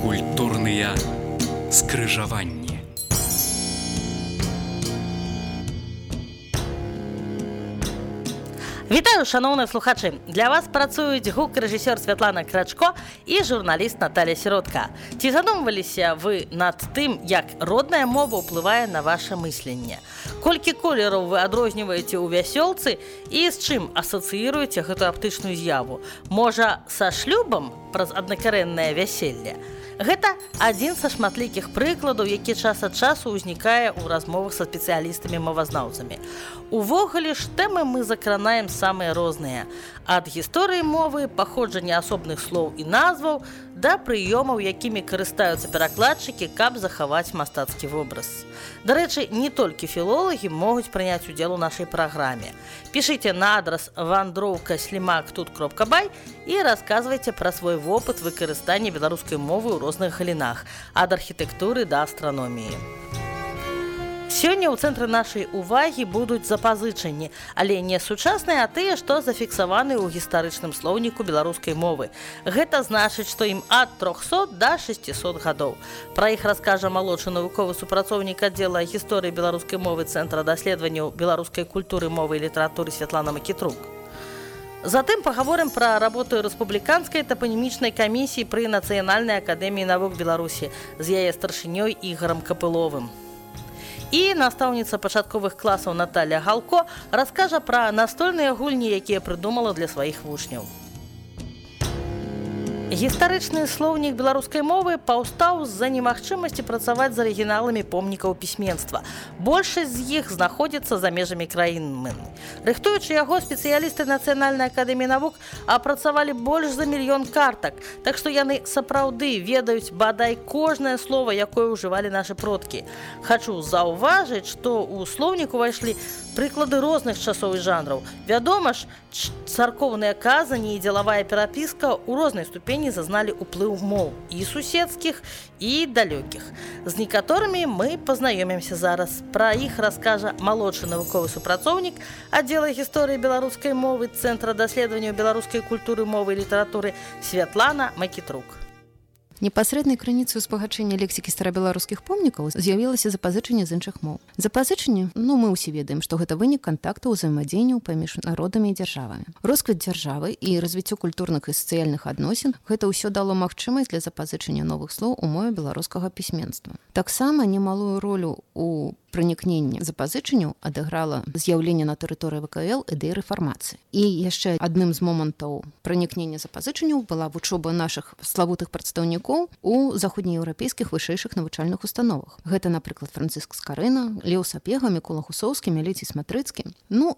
Культурныя скрыжаванні. Вітаю, шановні слухачі! Для вас працюють гук-рэжысёр Святлана Крачко і журналіст Наталя Сіротка. Ці задумваліся вы над тым, як родная мова ўплывае на ваше мысленне? Колькі колераў вы адрозніваеце ў вясёлцы і з чым асацыіруеце гэту аптычную з'яву? Можа, са шлюбам праз аднакарэннае вяселле? Гэта адзін са шматлікіх прыкладаў, які час ад часу ўзнікае ў размовах са спецыялістамі-мовазнаўцамі. Увогуле ж тэмы мы закранаем самыя розныя. Ад гісторыі мовы, паходжання асобных слоў і назваў, да прыёмаў, якімі карыстаюцца перакладчыкі, каб захаваць мастацкі вобраз. Дарэчы, не толькі філолагі могуць прыняць удзел у нашай праграме. Пішыце на адрас wandrowka@тут.бай і расказвайце пра свой вопыт выкарыстання беларускай мовы ў розных галінах, ад архітэктуры да астраноміі. Сёння ў цэнтры нашай увагі будуць запазычанні, але не сучасныя, а тыя, што зафіксаваны ў гістарычным слоўніку беларускай мовы. Гэта значыць, што ім ад 300 да 600 гадоў. Пра іх раскажа малодшы навуковы супрацоўнік аддзела гісторыі беларускай мовы Цэнтра даследаванняў беларускай культуры, мовы і літаратуры Святлана Макітрук. Затым пагаворым пра работу рэспубліканскай тапанімічнай камісіі пры Нацыянальнай акадэміі навук Беларусі з яе старшынёй Ігорам Капыловым. І настаўніца пачатковых класаў Наталя Галко раскажа пра настольныя гульні, якія прыдумала для сваіх вучняў. Гістарычны слоўнік беларускай мовы паўстаў з-за немагчымасці працаваць з арыгіналамі помнікаў пісьменства. Большасць з іх знаходзіцца за межамі краіны. Рыхтуючы яго, спецыялісты Нацыянальнай акадэміі навук апрацавалі больш за 1 мільён картак, так што яны сапраўды ведаюць бадай кожнае слова, якое ўжывалі нашы продкі. Хачу заўважыць, што ў слоўнік увайшлі прыклады розных часоў і жанраў. Вядома ж, царкоўныя казані і дзелавая перапіска ў рознай ступені зазналі ўплыў моў і суседскіх, і далёкіх. З некаторымі мы пазнаёмімся зараз. Пра іх раскажа малодшы навуковы супрацоўнік аддзела гісторыі беларускай мовы Цэнтра даследаванняў беларускай культуры, мовы і літаратуры Святлана Макітрук. Непасрэднай крыніцай узбагачэння лексікі старабеларускіх помнікаў з'явілася запазычанне з іншых моў. Запазычанне, мы ўсе ведаем, што гэта вынік кантактаў узаемадзеянняў паміж народамі і дзяржавамі. Росквіт дзяржавы і развіццё культурных і сацыяльных адносін гэта ўсё дало магчымасць для запазычання новых слоў у мове беларускага пісьменства. Таксама немалую ролю у пранікненні запазычанняў адыграла з'яўленне на тэрыторыі ВКЛ ідэі рэфармацыі. І яшчэ адным з момантаў пранікнення запазычанняў была вучоба нашых славутых прадстаўнікоў у заходнееўрапейскіх вышэйшых навучальных установах. Гэта, напрыклад, Францыск Скарына, Леў Сапега, Мікола Хусоўскі, Меліцій Сматрыцкі.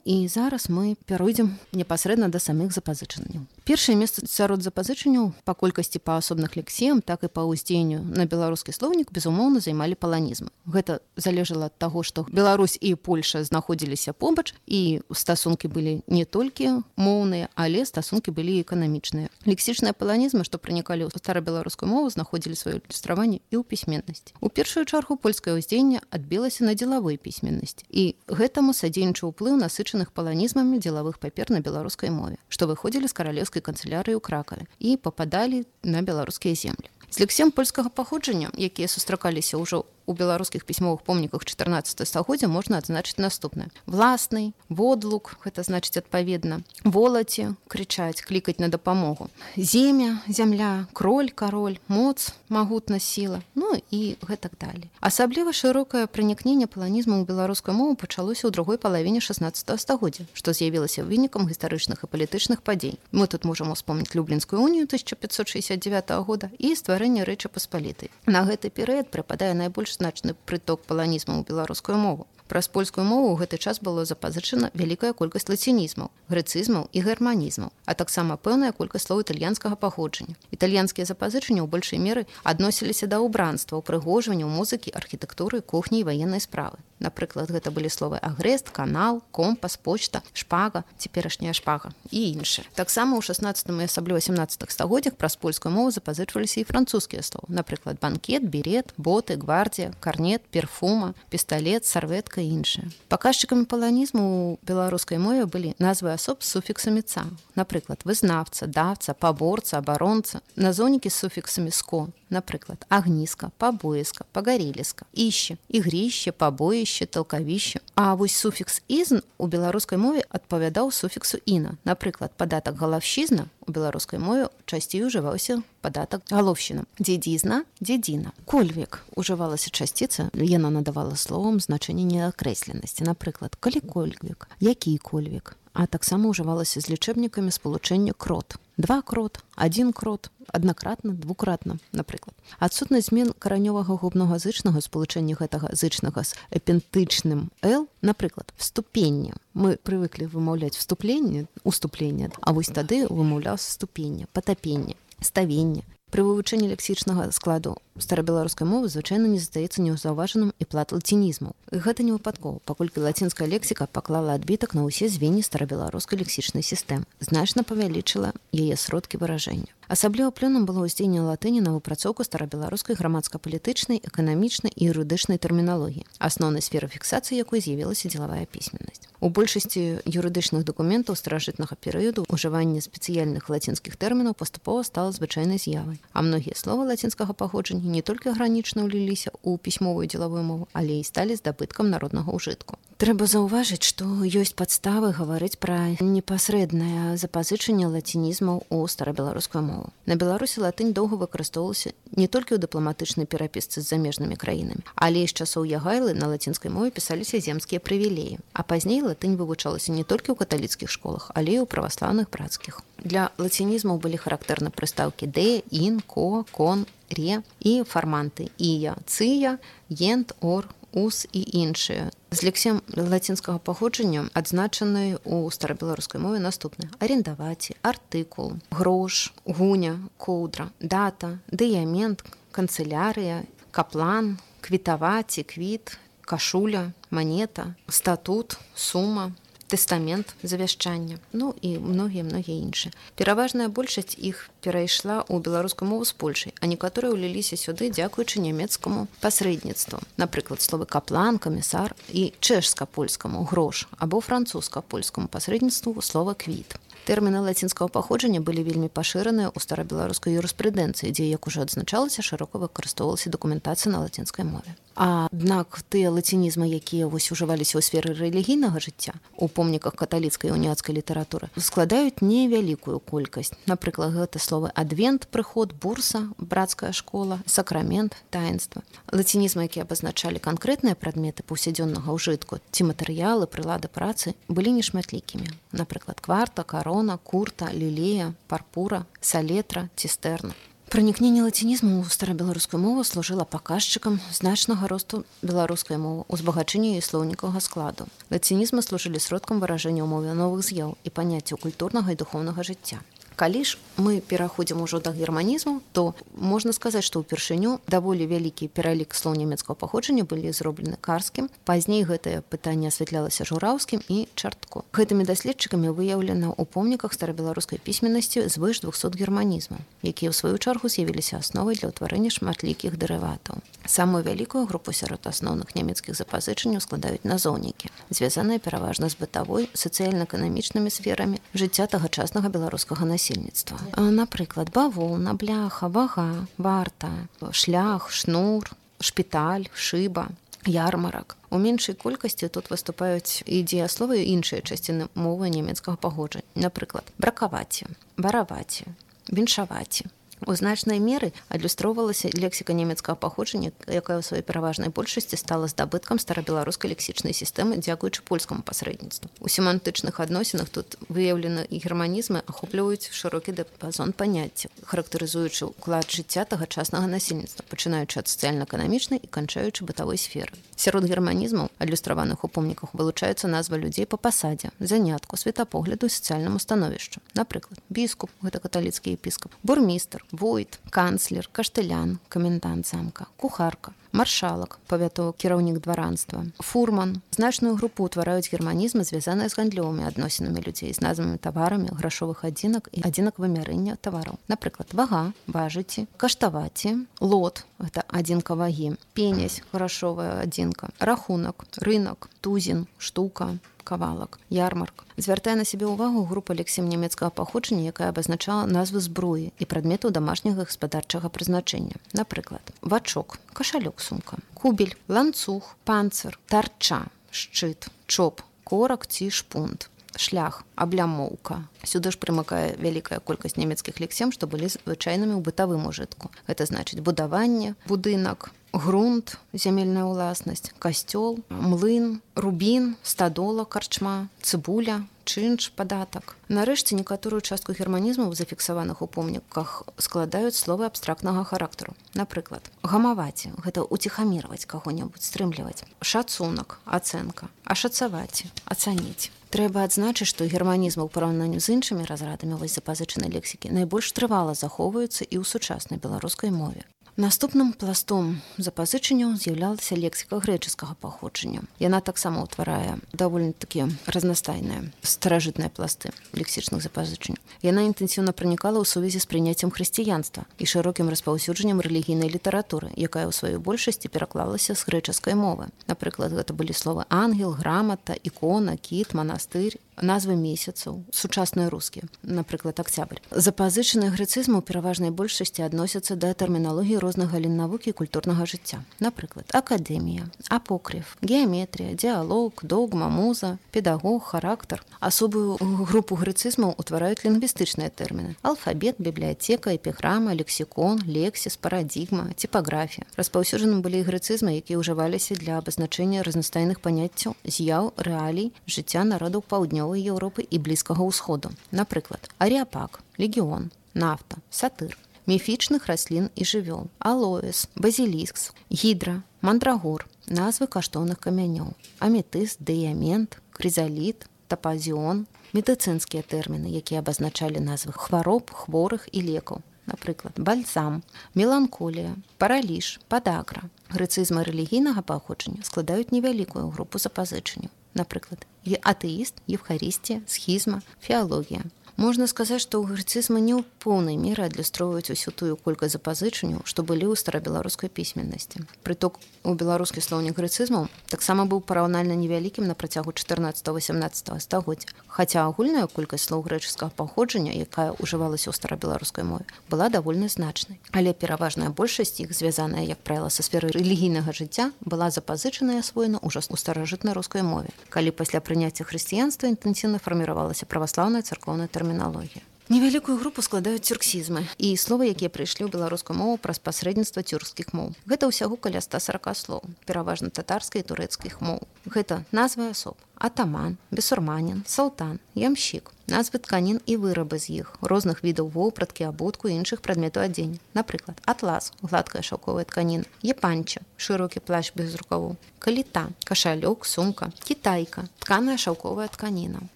І зараз мы пяройдзем непасрэдна да самых запазычанняў. Першае месца сярод запазычанняў па колькасці па асобных лексіям, так і па ўздзеянню на беларускі слоўнік, безумоўна, займалі паланізмы. Гэта залежала ад таго, што Беларусь і Польша знаходзіліся побач, і стасункі былі не толькі моўныя, але стасункі былі і эканамічныя. Лексічныя паланізмы, што пранікалі ў старабеларускую мову, знаходзілі сваё ілюстраванне і ў пісьменнасці. У першую чаргу польскае ўздзеянне адбілася на дзелавой пісьменнасці, і гэтаму садзейнічаў уплыў насычаных паланізмамі дзелавых папер на беларускай мове, што выходзілі з каралеўскай канцылярыі ў Кракаве і пападалі на беларускія землі. З лексіям польскага паходжання, якія сустракаліся ўжо у беларускіх пісьмовых помніках 14 стагоддзя, можна адзначыць наступнае. Власны, водлук, гэта значыць адпаведна, волаце, крычаць, клікаць на дапамогу. Земя, зямля, кроль, кароль, моц, магутнасць, сіла, і гэтак далей. Асабліва шырокае пранікненне паланізму ў беларускую мову пачалося ў другой палавіне 16 стагоддзя, што з'явілася вынікам гістарычных і палітычных падзей. Мы тут можам успомніць Люблінскую унію 1569 года і стварэнне Рэчы Паспалітай. На гэты перыяд прыпадае найбольш значны прыток паланізму ў беларускую мову. Праз польскую мову ў гэты час было запазычана вялікая колькасць лацінізмаў, грэцызмаў і германізмаў, а таксама пэўная колькасць слоў італьянскага паходжання. Італьянскія запазычанні ў большай меры адносіліся да ўбранства, упрыгожвання, музыкі, архітэктуры, кухні і ваеннай справы. Напрыклад, гэта былі словы агрэст, канал, компас, почта, шпага, цяперашняя шпага і іншыя. Таксама ў 16 і асабліва 17 стагоддзях праз польскую мову запазычваліся і французскія словы. Напрыклад, банкет, берет, боты, гвардія, карнет, перфума, пісталет, сарветка і іншыя. Паказчыкамі паланізму ў беларускай мове былі назвы асоб з суфіксамі «ца». Напрыклад, вызнавца, давца, паборца, абаронца. Назоўнікі з суфіксамі «ско». Напрыклад, агніска, пабоіска, пагареліска, іще, ігріще, пабоіще, толкавіще. А вось суфікс «ізн» у беларускай мове адпавядаў суфіксу «іна». Напрыклад, падатак галаўшчызна у беларускай мове часцей ужываўся падатак галоўшчына. Дзедзізна, дзедзіна. Кольвек ужывалася часціца, яна надавала словам значэнне неакрэсленасці. Напрыклад, калі кольвек, які кольвек. А таксама ўжывалася з лічэбнікамі спалучэння крот. 2 крот, 1 крот, аднакратна, двукратна, напрыклад. Адсутнасць змен каранёвага губнога зычнага спалучэння гэтага зычнага з эпентычным «л», напрыклад, вступенне. Мы прывыклі вымаўляць вступленне, уступленне, а вось тады вымаўляўся ступенне, патапенне, ставенне. Пры вывучэнні лексічнага складу старабеларускай мовы звычайна не застаецца неўзаўважаным і плат лацінізмаў. І гэта не выпадкова, паколькі лацінская лексіка паклала адбітак на ўсе звенні старабеларускай лексічнай сістэмы, значна павялічыла яе сродкі выражэння. Асабліва плёнам было ўздзеянне латыні на выпрацоўку старабеларускай грамадска-палітычнай, эканамічнай і юрыдычнай тэрміналогіі, асноўнай сферай фіксацыі якой з'явілася дзелавая пісьменнасць. У большасці юрыдычных дакументаў старажытнага перыяду ўжыванне спецыяльных лацінскіх тэрмінаў паступова стала звычайнай з'явай, а многія словы лацінскага паходжання не толькі агранічна ўліліся ў пісьмовую дзелавую мову, але і сталі здабыткам народнага ўжытку. Трэба заўважыць, што ёсць падставы гаварыць пра непасрэднае запазычанне лацінізмаў у старабеларускую мову. На Беларусі латынь доўга выкарыстоўвалася не толькі ў дыпламатычнай перапісцы з замежнымі краінамі, але і з часоў Ягайлы на лацінскай мове пісаліся земскія прывілеі, а пазней латынь вывучалася не толькі ў каталіцкіх школах, але і ў праваслаўных брацкіх. Для лацінізмаў былі характэрны прыстаўкі «де», «ін», «ко», «кон», «ре» і фарманты «ія», «цыя», «ент», «ор», «ус» і іншыя. З лексем лацінскага паходжання адзначаны ў старабеларускай мове наступныя: арендаваці, артыкул, грош, гуня, коўдра, дата, дыямент, канцылярыя, каплан, квітаваці, квіт, кашуля, манета, статут, сума, тэстамент, завяшчання, ну і многія іншыя. Пераважная большасць іх перайшла ў беларускую мову з Польшай, а некаторыя ўліліся сюды дзякуючы нямецкаму пасрэдніцтву. Напрыклад, словы каплан, камісар і чэшска-польскаму грош або французска-польскаму пасрэдніцтву слова квіт. Тэрміны лацінскага паходжання былі вельмі пашыраныя ў старабеларускай юрыспрудэнцыі, дзе, як ужо адзначалася, шырока выкарыстоўвалася дакументацыя на лацінскай мове. Аднак тыя лацінізмы, якія ужываліся ў сферы рэлігійнага жыцця, у помніках каталіцкай і уніяцкай літаратуры, складаюць невялікую колькасць. Напрыклад, гэта словы адвент, прыход, бурса, брацкая школа, сакрамент, таінства. Лацінізмы, якія абазначалі канкрэтныя прадметы паўсядзённага ўжытку ці матэрыялы, прылады працы, былі нешматлікімі. Напрыклад, кварта, карона, курта, лілея, парпура, салетра, цістэрна. Пранікненне лацінізму ў старабеларускую мову служыла паказчыкам значнага росту беларускай мовы, узбагачэння яе слоўнікавага складу. Лацінізмы служылі сродкам выражэння ў мове новых з'яў і паняццяў культурнага і духоўнага жыцця. Калі ж мы пераходзім ужо да германізму, то можна сказаць, што ўпершыню даволі вялікі пералік слоў нямецкага паходжання былі зроблены Карскім. Пазней гэтае пытанне асвятлялася Жураўскім і Чартко. Гэтымі даследчыкамі выяўлена ў помніках старабеларускай пісьменнасці звыш 200 германізмаў, якія ў сваю чаргу з'явіліся асновай для ўтварэння шматлікіх дэрыватаў. Самую вялікую групу сярод асноўных нямецкіх запазычанняў складаюць назоўнікі, звязаныя пераважна з бытавой, сацыяльна-эканамічнымі сферамі жыцця тагачаснага беларускага насельніцтва. Напрыклад, бавоўна, бляха, вага, варта, шлях, шнур, шпіталь, шыба, ярмарак. У меншай колькасці тут выступаюць і дзеясловы і іншыя часціны мовы нямецкага паходжання. Напрыклад, бракаваці, бараваці, віншаваці. У значнай меры адлюстроўвалася лексіка нямецкага паходжання, якая ў сваёй пераважнай большасці стала здабыткам старабеларускай лексічнай сістэмы дзякуючы польскаму пасрэдніцтву. У семантычных адносінах тут выяўлены германізмы ахопліваюць шырокі дыяпазон паняццяў, характарызуючы ўклад жыцця тагачаснага насельніцтва, пачынаючы ад сацыяльна-эканамічнай і канчаючы бытавой сферы. Сярод германізмаў, адлюстраваных у помніках, вылучаюцца назвы людзей па пасадзе, занятку, светапогляду і сацыяльнаму становішчу. Напрыклад, біскуп, гэта каталіцкі епіскап, бурмістр, войт, канцлер, каштылян, камендант замка, кухарка, маршалак, павятовы кіраўнік дваранства, фурман. Значную групу ўтвараюць германізмы, звязаныя з гандлёвымі адносінамі людзей, з назвамі таварамі, грашовых адзінак і адзінак вымярэння тавараў. Напрыклад, вага, важыці, каштаваці, лот, гэта адзінка вагі, пенясь, грашовая адзінка, рахунак, рынок, тузін, штука, кавалак, ярмарк. Звяртае на сябе ўвагу група лексем нямецкага паходжання, якая абазначала назвы зброі і прадметаў дамашняга гаспадарчага прызначэння. Напрыклад, вачок, кашалёк, сумка, кубель, ланцуг, панцыр, тарча, шчыт, чоп, корак ці шпунт, шлях, аблямоўка. Сюды ж прымыкае вялікая колькасць нямецкіх лексем, што былі звычайнымі ў бытавым ужытку. Гэта значыць будаванне, будынак, грунт, зямельная ўласнасць, касцёл, млын, рубін, стадола, карчма, цыбуля, чынш, падатак. Нарэшце, некаторую частку германізмаў, зафіксаваных у помніках, складаюць словы абстрактнага характару. Напрыклад, гамаваці – гэта уціхамірваць каго-небудзь, стрымліваць. Шацунак – ацэнка. Ашацаваці – ацаніць. Трэба адзначыць, што германізмы ў параўнанні з іншымі разрадамі вось запазычанай лексікі найбольш трывала захоўваюцца і ў сучаснай беларускай мове. Наступным пластом запазычанняў з'яўлялася лексіка грэчаскага паходжання. Яна таксама ўтварае даволі-такі разнастайныя старажытныя пласты лексічных запазычанняў. Яна інтэнсіўна пранікала ў сувязі з прыняццем хрысціянства і шырокім распаўсюджаннем рэлігійнай літаратуры, якая ў сваёй большасці пераклалася з грэчаскай мовы. Напрыклад, гэта былі словы ангел, грамата, ікона, кіт, манастыр, назвы месяцаў, сучасныя рускія, напрыклад, акцябрь. Запазычаныя грэцызмы ў пераважнай большасці адносяцца да тэрміналогіі розных галін навукі і культурнага жыцця. Напрыклад, акадэмія, апокрыф, геаметрія, дыалог, догма, муза, педагог, характар. Асобую групу грэцызмаў утвараюць лінгвістычныя тэрміны: алфабет, бібліятэка, эпіграма, лексікон, лексіс, парадігма, типаграфія. Распаўсюджаны былі грэцызмы, якія ўжываліся для абазначэння разнастайных паняццяў, з'яў, рэалій жыцця народаў паўднёвай Еўропы і Блізкага ўсходу. Напрыклад, аріапак, легіон, нафта, сатыр, міфічных раслін і жывёл, алоэс, базіліск, гідра, мандрагор, назвы каштоўных камянёў, аметыст, дыямент, крызаліт, тапазіон, медыцынскія тэрміны, якія абазначалі назвы хвароб, хворых і лекаў. Напрыклад, бальзам, меланколія, параліж, падагра. Грэцызмы рэлігійнага паходжання складаюць невялікую групу запазычанняў. Напрыклад, атэіст, евхарыстія, схізма, феалогія. Можна сказаць, што грэцызмы не ў поўнай меры адлюстроўваюць усю тую колькасць запазычанняў, што былі ў старабеларускай пісьменнасці. Прыток у беларускі слоўнік грэцызмаў таксама быў параўнальна невялікім на працягу 14-18 стагоддзя, хаця агульная колькасць слоў грэчаскага паходжання, якая ўжывалася ў старабеларускай мове, была даволі значнай. Але пераважная большасць іх, звязаная, як правіла, са сферы рэлігійнага жыцця, была запазычана і асвоена ўжо ў старажытнай рускай мове, калі пасля прыняцця хрысціянства інтэнсіўна фарміравалася праваслаўная царкоўная тэрміналогія. Невялікую групу складаюць тюрксізмы і словы, якія прыйшлі ў беларускую мову праз пасрэдніцтва тюркскіх моў. Гэта ўсяго каля 140 слоў, пераважна татарскай і турэцкіх моў. Гэта назвы асоб: атаман, бесурманін, салтан, ямщик, назвы тканін і вырабы з іх, розных відаў вопраткі, абутку і іншых прадметаў адзення. Напрыклад, атлас, гладкая шаўковая тканіна, епанча, шырокі плащ без рукавоў, каліта, кашалёк, сумка, кітайка, тканая шаўковая тканіна,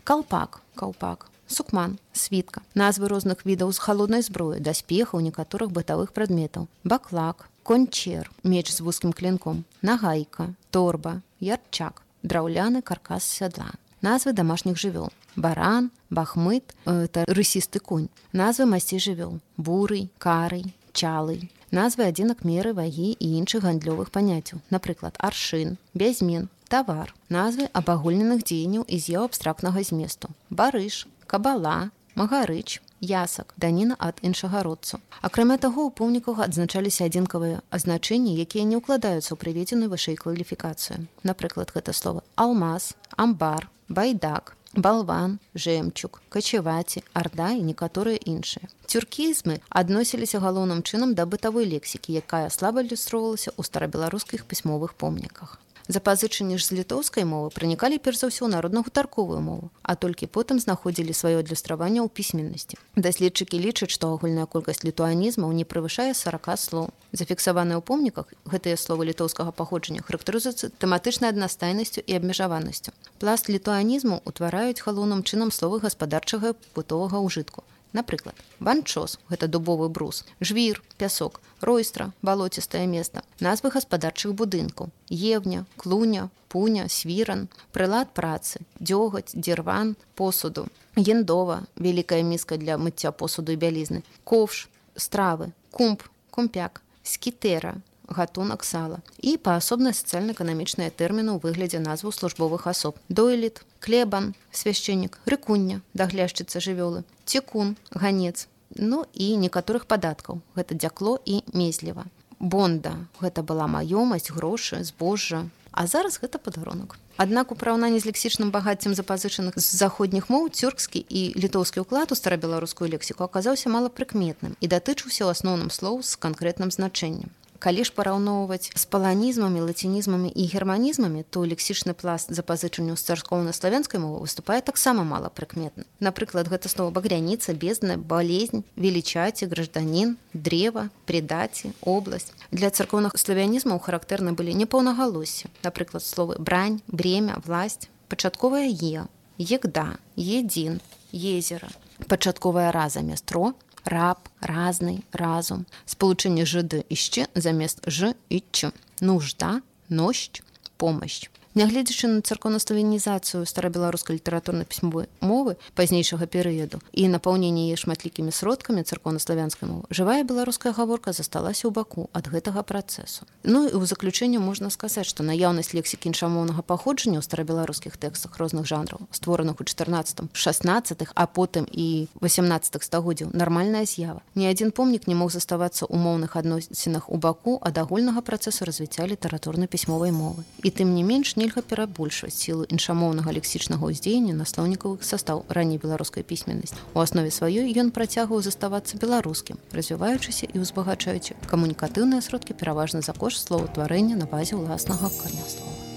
калпак, каўпак, сукман, світка, назвы розных відаў з халоднай зброі, даспехаў, некаторых бытавых прадметаў, баклак, кончер, меч з вузкім клінком, нагайка, торба, ярчак, драўляны каркас сядла, назвы дамашніх жывёл, баран, бахмыт, рысісты конь, назвы масцей жывёл, бурый, карый, чалый, назвы адзінак меры, вагі і іншых гандлёвых паняццяў, напрыклад, аршын, бязмен, тавар, назвы абагульненых дзеянняў і з'яў абстрактнага зместу, барыш, кабала, магарыч, ясак, даніна ад іншагародцаў. Акрамя таго, у помніках адзначаліся адзінкавыя азначэнні, якія не ўкладаюцца ў прыведзеную вышэй кваліфікацыю. Напрыклад, гэта словы алмаз, амбар, байдак, балван, жэмчуг, качеваці, арда і некаторыя іншыя. Тюркізмы адносіліся галоўным чынам да бытавой лексікі, якая слаба ілюстроўвалася ў старабеларускіх пісьмовых помніках. Запазычанні ж з літоўскай мовы пранікалі перш за ўсё ў народна-гутарковую мову, а толькі потым знаходзілі сваё адлюстраванне ў пісьменнасці. Даследчыкі лічаць, што агульная колькасць літуанізмаў не превышае 40 слоў. Зафіксаваныя ў помніках гэтыя словы літоўскага паходжання характарызуюцца тэматычнай аднастайнасцю і абмежаванасцю. Пласт літуанізму ўтвараюць галоўным чынам словы гаспадарчага і побытовага ўжытку. Напрыклад, банчос – гэта дубовы брус, жвір, пясок, ройстра, балоцістае места, назвы гаспадарчых будынкаў, евня, клуня, пуня, свіран, прылад працы, дзёгаць, дзірван, посуду, ендова, вялікая міска для мыцця посуду і бялізны, ковш, стравы, кумб, кумпяк, скітэра, гатунак сала і паасобна сацыяльна-эканамічныя тэрміны ў выглядзе назваў службовых асоб. Дойлід, клебан, свяшчэннік, рыкуння, дагляшчыца жывёлы, цекун, ганец, ну і некаторых падаткаў. Гэта дзякло і мезліва. Бонда – гэта была маёмасць, грошы, збожжа. А зараз гэта падарунак. Аднак у параўнанні з лексічным багаццем запазычаных з заходніх моў цюркскі і літоўскі ўклад у старабеларускую лексіку аказаўся малапрыкметным і датычыўся ў асноўным слоў з канкрэтным значэннем. Калі ж параўноўваць з паланізмамі, лацінізмамі і германізмамі, то лексічны пласт запазычанняў з царкоўна-славянскай мовы выступае таксама малапрыкметна. Напрыклад, гэта слова багряніца, бездна, балезнь, велічаці, гражданін, древа, предаці, область. Для царкоўна-славянізмаў характэрны былі непаўнагалоссі. Напрыклад, словы брань, бремя, власть, пачатковая е, егда, един, езера, пачатковая ра замест ро, раб, разный, разум, спалучэнне жд і ще замест ж і ч, нужда, нощ, помощь. Нягледзячы на царкоўна-славянізацыю старабеларускай літаратурна-пісьмовай мовы пазнейшага перыяду і напаўненне яе шматлікімі сродкамі царкоўна-славянскай мовы, жывая беларуская гаворка засталася ў баку ад гэтага працэсу. Ну і ў заключэнне можна сказаць, што наяўнасць лексікі іншамоўнага паходжання ў старабеларускіх тэкстах розных жанраў, створаных у 14, 16, а потым і 18 стагоддзяў, нармальная з'ява. Ні адзін помнік не мог заставацца ў моўных адносінах у баку ад агульнага працэсу развіцця літаратурна-пісьмовай мовы. І тым не менш, нельга перабольшваць сілу іншамоўнага лексічнага ўздзеяння на слоўнікавы састаў ранняй беларускай пісьменнасці. У аснове сваёй ён працягваў заставацца беларускім, развіваючыся і ўзбагачаючы камунікатыўныя сродкі пераважна за кошт словаўтварэння на базе ўласнага карняслова.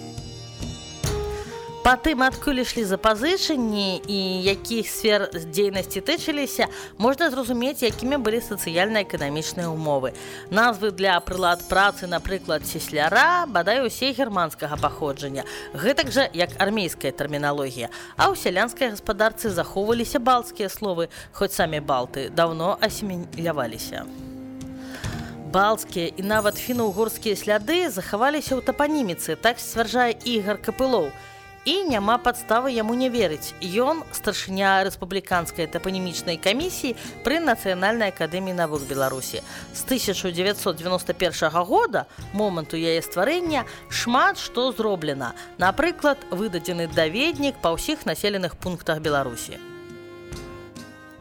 Па тым, адкуль ішлі запазычанні і якіх сфер дзейнасці тычыліся, можна зразумець, якімі былі сацыяльна-эканамічныя ўмовы. Назвы для прылад працы, напрыклад, цесляра, бадай усе германскага паходжання, гэтак жа, як армейская тэрміналогія. А ў сялянскай гаспадарцы захоўваліся балцкія словы, хоць самі балты даўно асіміляваліся. Балцкія і нават фіна-угорскія сляды захаваліся ў тапаніміцы, так сцвярджае Ігар Капылоў. І няма падставы яму не верыць. Ён старшыня рэспубліканскай тапанімічнай камісіі пры Нацыянальнай акадэміі навук Беларусі. З 1991 года, моманту яе стварэння, шмат што зроблена. Напрыклад, выдадзены даведнік па ўсіх населеных пунктах Беларусі.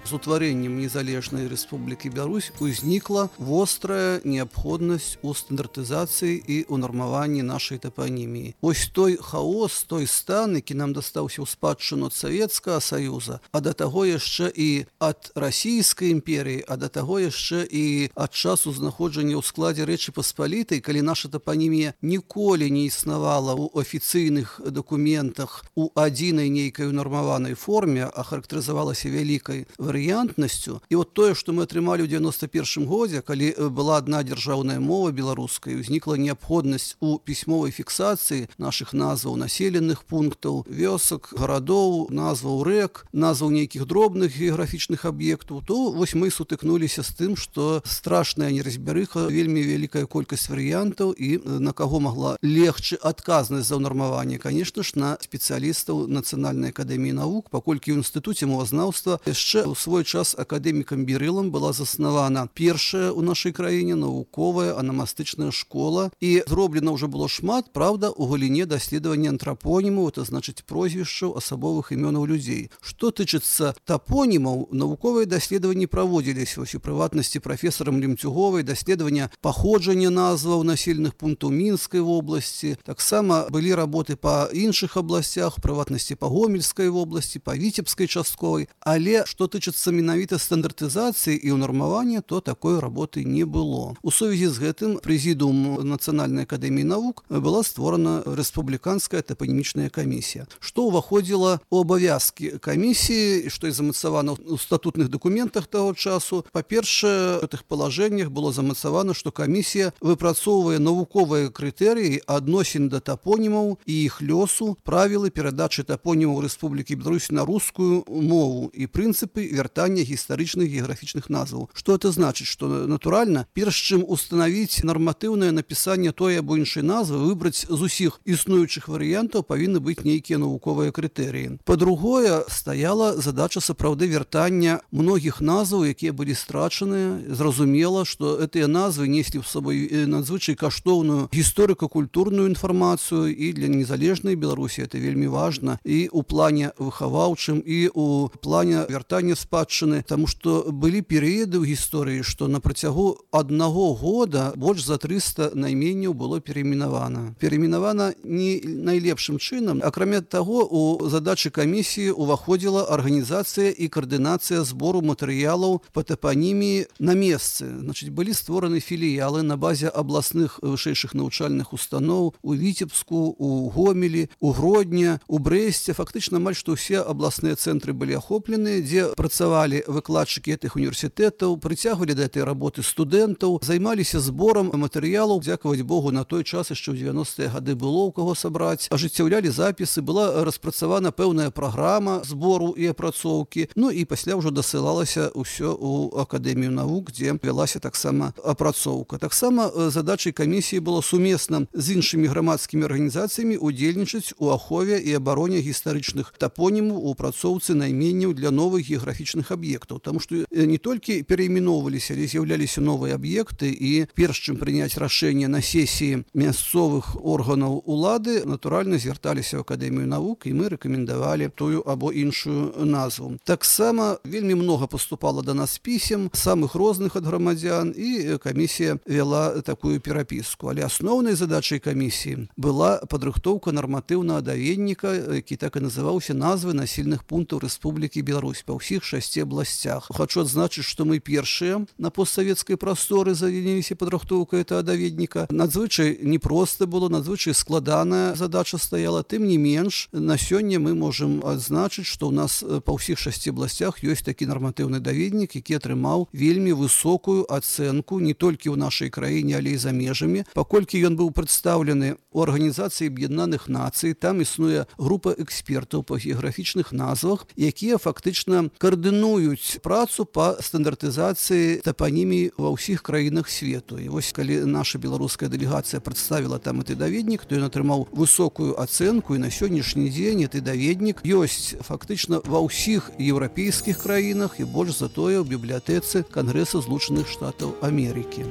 З утварэннем незалежнай Рэспублікі Беларусь узнікла вострая неабходнасць у стандартызацыі і ў нармаванні нашай тапаніміі. Вось той хаос, той стан, які нам дастаўся ў спадчыну ад Савецкага Саюза, а да таго яшчэ і ад Расійскай імперіі, а да таго яшчэ і ад часу знаходжання ў складзе Рэчы Паспалітай, калі наша тапанімія ніколі не існавала ў афіцыйных дакументах у адзінай нейкай унармаванай форме, а характарызавалася вялікай варыянтнасцю. І вот тое, што мы атрымалі ў 91 годзе, калі была адна дзяржаўная мова беларуская, узнікла неабходнасць у пісьмовай фіксацыі нашых назваў населеных пунктаў, вёсак, гарадоў, назваў рэк, назваў нейкіх дробных геаграфічных аб'ектаў, то вось мы сутыкнуліся з тым, што страшная неразбярыха, вельмі вялікая колькасць варыянтаў і на каго магла легчы адказнасць за ўнармаванне, конечно ж, на спецыялістаў Нацыянальнай акадэміі навук, паколькі ў інстытуце мовазнаўства яшчэ ў свой час акадэмікам Бірылам была заснавана першая ў нашай краіне навуковая анамастычная школа, і зроблена ўжо было шмат, правда, у галіне даследавання антрапонімаў, это значыць прозвішчаў асабовых імёнаў людзей. Што тычыцца тапонімаў, навуковыя даследаванні праводзіліся, вось у прыватнасці прафесарам Лемцюговай, даследавання паходжання назваў населеных пунктаў Мінскай вобласці. Таксама былі работы па іншых абласцях, у прыватнасці па Гомельскай вобласці, па Віцебскай частковай, але што тычыцца менавіта стандартызацыі і ўнармавання, то такой работы не было. У сувязі з гэтым прэзідыум Нацыянальнай акадэміі навук была створана рэспубліканская тапанімічная камісія. Што ўваходзіла ў абавязкі камісіі, што і замацавана ў статутных дакументах таго часу. Па-першае, у тых палажэннях было замацавана, што камісія выпрацоўвае навуковыя крытэрыі адносін да тапонімаў і іх лёсу, правілы перадачы тапонімаў Рэспублікі Беларусь на рускую мову і прынцыпы вяртання гістарычных геаграфічных назваў. Што это значыць? Што, натуральна, перш чым устанавіць нарматыўнае напісанне той або іншай назвы, выбраць з усіх існуючых варыянтаў павінны быць нейкія навуковыя крытэрыі. Па-другое, стаяла задача сапраўды вяртання многіх назваў, якія былі страчаныя. Зразумела, што гэтыя назвы неслі ў сабой надзвычай каштоўную гісторыка-культурную інфармацыю, і для незалежнай Беларусі это вельмі важна і ў плане выхаваўчым, і ў плане вяртання спадчыны, таму што былі перыяды ў гісторыі, што на працягу аднаго года больш за 300 найменняў было перайменавана. Перайменавана не найлепшым чынам. Акрамя таго, у задачы камісіі уваходзіла арганізацыя і каардынацыя збору матэрыялаў па тапаніміі на месцы. Значыць, былі створаны філіялы на базе абласных вышэйшых навучальных устаноў у Віцебску, у Гомелі, у Гродні, у Брэсце. Фактычна амаль што ўсе абласныя цэнтры былі ахоплены, дзе працавалі выкладчыкі гэтых універсітэтаў, прыцягвалі да гэтай работы студэнтаў, займаліся зборам матэрыялаў. Дзякаваць Богу, на той час яшчэ ў 90-е гады было ў каго сабраць, ажыццяўлялі запісы, была распрацавана пэўная праграма збору і апрацоўкі. Ну і пасля ўжо дасылалася ўсё ў Акадэмію навук, дзе вялася таксама апрацоўка. Таксама задачай камісіі было сумесна з іншымі грамадскімі арганізацыямі удзельнічаць у ахове і абароне гістарычных тапонімаў у апрацоўцы найменняў для новых геаграфічных аб'ектаў. Таму што не толькі перайменоўваліся, але з'яўляліся новыя аб'екты, і перш чым прыняць рашэнне на сесіі мясцовых органаў улады, натуральна звярталіся ў Акадэмію навук, і мы рэкамендавалі тую або іншую назву. Таксама вельмі многа паступала да нас пісем самых розных ад грамадзян, і камісія вяла такую перапіску. Але асноўнай задачай камісіі была падрыхтоўка нарматыўнага даведніка, які так і называўся назвы населеных пунктаў Рэспублікі Беларусь па ўсіх 6 абласцях. Хачу адзначыць, што мы першыя на постсавецкай прасторы заняліся падрыхтоўкай гэтага даведніка. Надзвычай непроста было, надзвычай складаная задача стаяла. Тым не менш, на сёння мы можам адзначыць, што ў нас па ўсіх 6 абласцях ёсць такі нарматыўны даведнік, які атрымаў вельмі высокую ацэнку не толькі ў нашай краіне, але і за межамі. Паколькі ён быў прадстаўлены ў Арганізацыі Аб'яднаных Нацый, там існуе група экспертаў па геаграфічных назвах, якія фактычна каардынуюць працу па стандартызацыі тапанімій ва ўсіх краінах свету. І вось калі наша беларуская дэлегацыя прадставіла там гэты даведнік, то ён атрымаў высокую ацэнку, і на сённяшні дзень гэты даведнік ёсць фактычна ва ўсіх еўрапейскіх краінах і больш за тое ў бібліятэцы Кангрэса Злучаных Штатаў Амерыкі.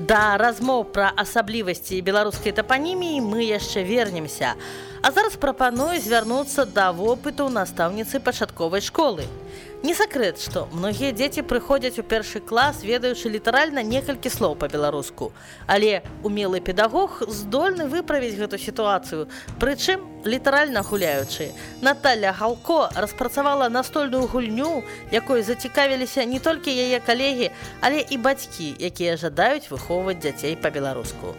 Да размоў пра асаблівасці беларускай тапаніміі мы яшчэ вернемся. А зараз прапаную звярнуцца да вопыту настаўніцы пачатковай школы. Не сакрэт, што многія дзеці прыходзяць у першы клас, ведаючы літаральна некалькі слоў па-беларуску. Але умелы педагог здольны выправіць гэту сітуацыю, прычым літаральна гуляючы. Наталля Галко распрацавала настольную гульню, якой зацікавіліся не толькі яе калегі, але і бацькі, якія жадаюць выхоўваць дзяцей па-беларуску.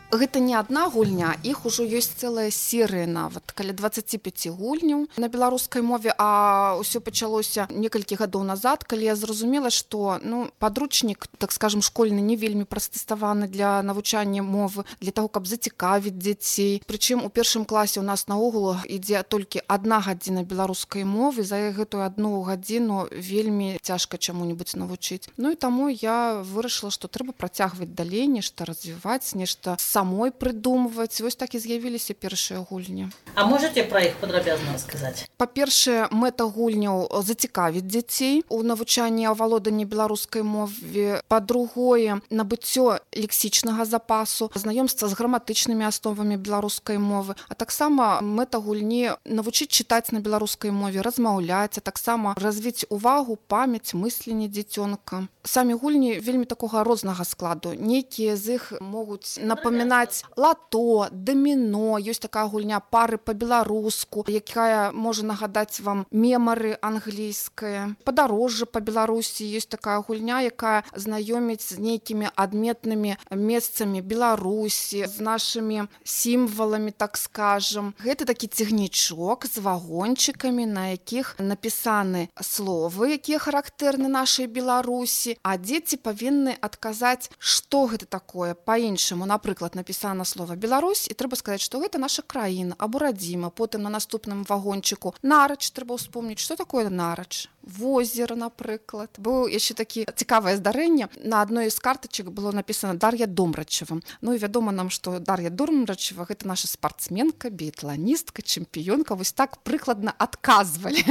Гэта не адна гульня, іх ужо ёсць цэлая серыя нават, каля 25 гульняў на беларускай мове, а ўсё пачалося некалькі гадоў назад, калі я зразумела, што падручнік, так скажем, школьны не вельмі прыстасаваны для навучання мовы, для таго, каб зацікавіць дзяцей. Прычым у першым класе ў нас наогул ідзе толькі 1 гадзіна беларускай мовы, за гэтую 1 гадзіну вельмі цяжка чаму-небудзь навучыць. Ну і таму я вырашыла, што трэба працягваць далей, нешта развіваць, нешта самой прыдумваць. Вось так і з'явіліся першыя гульні. А можаце пра іх падрабязна расказаць? Па-першае, мэта гульняў зацікавіць дзяцей у навучанні авалоданні беларускай мове. Па-другое, набыццё лексічнага запасу, знаёмства з граматычнымі асновамі беларускай мовы. А таксама мэта гульні навучыць чытаць на беларускай мове, размаўляць, а таксама развіць увагу, памяць, мысленне дзіцёнка. Самі гульні вельмі такога рознага складу. Нейкія з іх могуць напамінаць лато, даміно, ёсць такая гульня пары па-беларуску, якая можа нагадаць вам мемары англійскае. Падарожжа па Беларусі, ёсць такая гульня, якая знаёміць з нейкімі адметнымі месцамі Беларусі, з нашымі сімваламі, так скажам. Гэта такі цягнічок з вагончыкамі, на якіх напісаны словы, якія характэрны нашай Беларусі, а дзеці павінны адказаць, што гэта такое па-іншаму. Напрыклад, напісана слова Беларусь, і трэба сказаць, што гэта наша краіна або радзіма. Потым на наступным вагончыку нарач трэба ўспомніць, што такое нарач. Возера, напрыклад. Быў яшчэ такі цікавае здарэнне. На адной з картачак было напісана Дар'я Домрачева. Ну і вядома нам, што Дар'я Домрачева гэта наша спартсменка, біятланістка, чэмпіёнка. Вось так прыкладна адказвалі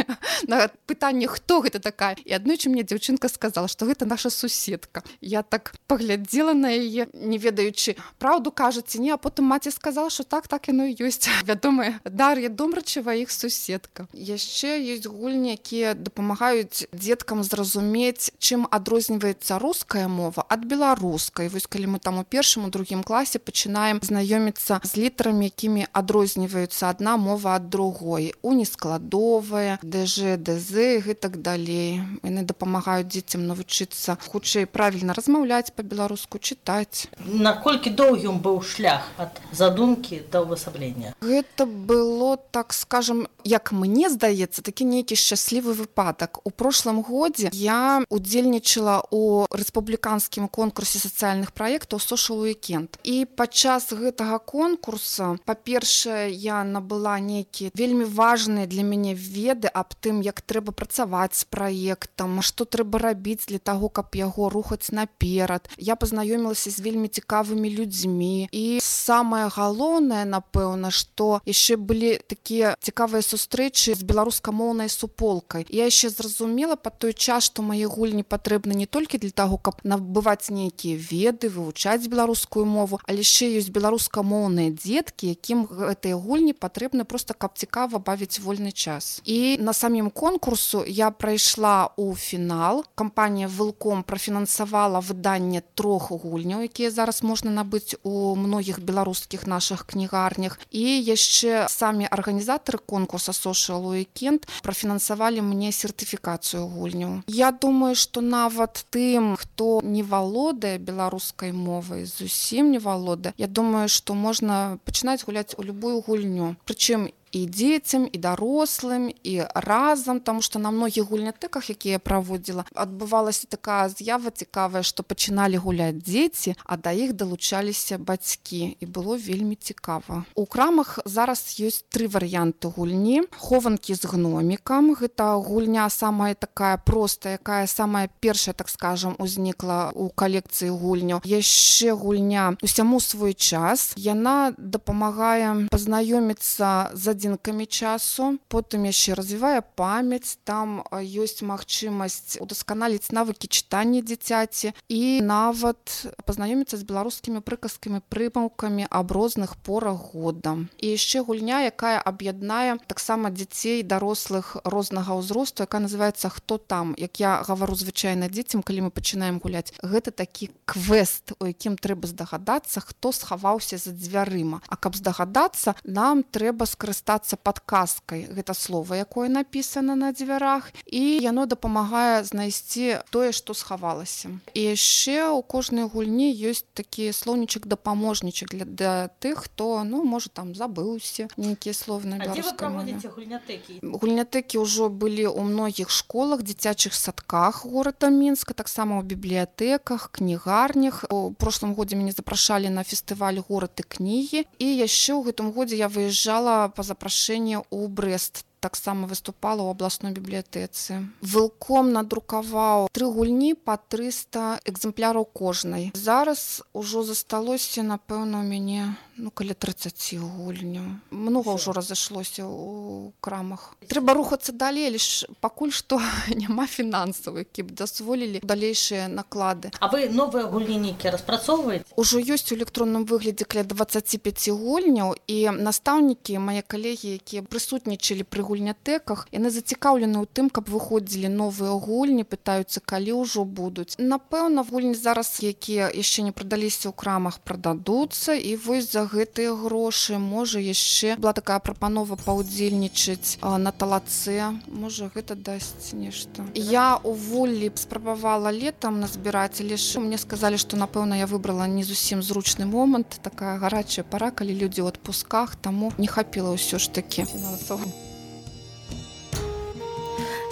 на пытанне, хто гэта такая. І аднойчы мне дзяўчынка сказала, што гэта наша суседка. Я так паглядзела на яе, не ведаючы, праўду кажаце, не, а потым маці сказала, што так яно і ёсць. Вядомая Дар'я Домрачева, іх суседка. Яшчэ ёсць гульні, якія дапамагаюць дзеткам зразумець, чым адрозніваецца руская мова ад беларускай. Вось калі мы там у першым, у другім класе пачынаем знаёміцца з літарамі, якімі адрозніваюцца адна мова ад другой. Унескладовая, ДЖ, ДЗ і гэтак далей. Яны дапамагаюць дзецям навучыцца хутчэй правільна размаўляць па-беларуску, чытаць. Наколькі доўгім быў шлях ад задумкі да ўвасаблення? Гэта было, так скажем, як мне здаецца, такі нейкі шчаслівы выпадак. У прошлым годзе я удзельнічала ў рэспубліканскім конкурсе сацыяльных праектаў Social Weekend. І падчас гэтага конкурса, па-першае, я набыла нейкія вельмі важныя для мяне веды аб тым, як трэба працаваць з праектам, што трэба рабіць для таго, каб яго рухаць наперад. Я пазнаёмілася з вельмі цікавымі людзьмі. І самае галоўнае, напэўна, што яшчэ былі такія цікавыя сустрэчы з беларускамоўнай суполкай. Я яшчэ зразумела па той час, што мае гульні патрэбны не толькі для таго, каб набываць нейкія веды, вывучаць беларускую мову, але яшчэ ёсць беларускамоўныя дзеткі, якім гэтыя гульні патрэбны проста, каб цікава бавіць вольны час. І на самім конкурсу я прайшла ў фінал. Кампанія «Вилком» прафінансавала выданне 3 гульняў, якія зараз можна набыць у многіх беларускіх нашых кнігарнях. І яшчэ самі арганізатары конкурса Social Weekend прафінансавалі мне сертыфікацыю гульняў. Я думаю, што нават тым, хто не валодае беларускай мовай, зусім не валодае, я думаю, што можна пачынаць гуляць у любую гульню. Прычым і дзецям, і дарослым, і разам, таму што на многіх гульнятэках, якія я праводзіла, адбывалася такая з'ява цікавая, што пачыналі гуляць дзеці, а да іх далучаліся бацькі, і было вельмі цікава. У крамах зараз ёсць 3 варыянты гульні. Хованкі з гномікам. Гэта гульня самая такая простая, якая самая першая, так скажем, узнікла у калекцыі гульняў. Яшчэ гульня «Усяму свой час». Яна дапамагае пазнаёміцца з адзінкамі часу, потым яшчэ развівае памяць, там ёсць магчымасць удасканаліць навыкі чытання дзіцяці і нават пазнаёміцца з беларускімі прыказкамі, прымаўкамі аб розных порах года. І яшчэ гульня, якая аб'яднае таксама дзяцей, дарослых рознага ўзросту, якая называецца «Хто там?». Як я гавару звычайна дзецям, калі мы пачынаем гуляць, гэта такі квест, у якім трэба здагадацца, хто схаваўся за дзвярыма. А каб здагадацца, нам трэба скарыстацца падказкай. Гэта слова, якое напісана на дзвярах, і яно дапамагае знайсці тое, што схавалася. І яшчэ ў кожнай гульні ёсць такі слоўнічак-дапаможнічак для тых, хто, можа, там забыўся нейкія словы на беларускай мове. А дзе вы праводзіце гульнятэкі? Гульнятэкі ўжо былі ў многіх школах, дзіцячых садках горада Мінска, таксама ў бібліятэках, кнігарнях. У прошлым годзе мяне запрашалі на фестываль «Горад і кнігі», і яшчэ ў гэтым годзе я выязджала па запрашэнні ў Брэст. Таксама выступала ў абласной бібліятэцы. «Вилком» надрукаваў 3 гульні па 300 экземпляраў кожнай. Зараз ужо засталося, напэўна, у мяне каля 30 гульняў. Многа ўжо разышлося ў крамах. Трэба рухацца далей, лишь пакуль што няма фінансаў, які б дазволілі далейшыя наклады. А вы новыя гульні нейкія распрацоўваеце? Ужо ёсць у электронным выглядзе каля 25 гульняў, і настаўнікі, мае калегі, якія прысутнічалі пры гульнятэках, яны зацікаўлены ў тым, каб выходзілі новыя гульні, пытаюцца, калі ўжо будуць. Напэўна, гульні зараз, якія яшчэ не прадаліся ў крамах, прададуцца, і вось за гэтыя грошы, можа, яшчэ была такая прапанова паўдзельнічаць на талацэ, можа, гэта дасць нешта. Я ў Воллі спрабавала летам назбіраць, але ж мне сказалі, што, напэўна, я выбрала не зусім зручны момант, такая гарачая пара, калі людзі ў адпусках, таму не хапіла ўсё ж такі фінансово.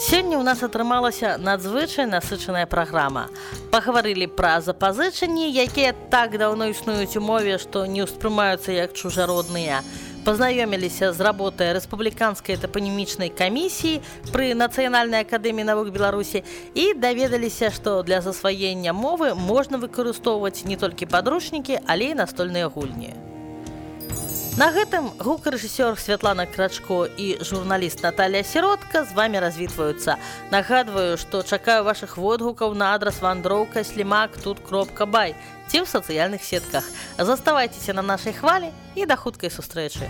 Сёння ў нас атрымалася надзвычай насычаная праграма. Пагаварылі пра запазычанні, якія так даўно існуюць у мове, што не ўспрымаюцца як чужародныя. Пазнаёміліся з работай рэспубліканскай тапанімічнай камісіі пры Нацыянальнай акадэміі навук Беларусі і даведаліся, што для засваення мовы можна выкарыстоўваць не толькі падручнікі, але і настольныя гульні. На гэтым гукарэжысёр Святлана Крачко і журналіст Наталія Сіротка з вамі развітваюцца. Нагадваю, што чакаю вашых водгукаў на адрас wandrowka@тут.бай ці ў сацыяльных сетках. Заставайцеся на нашай хвалі і да хуткай сустрэчы.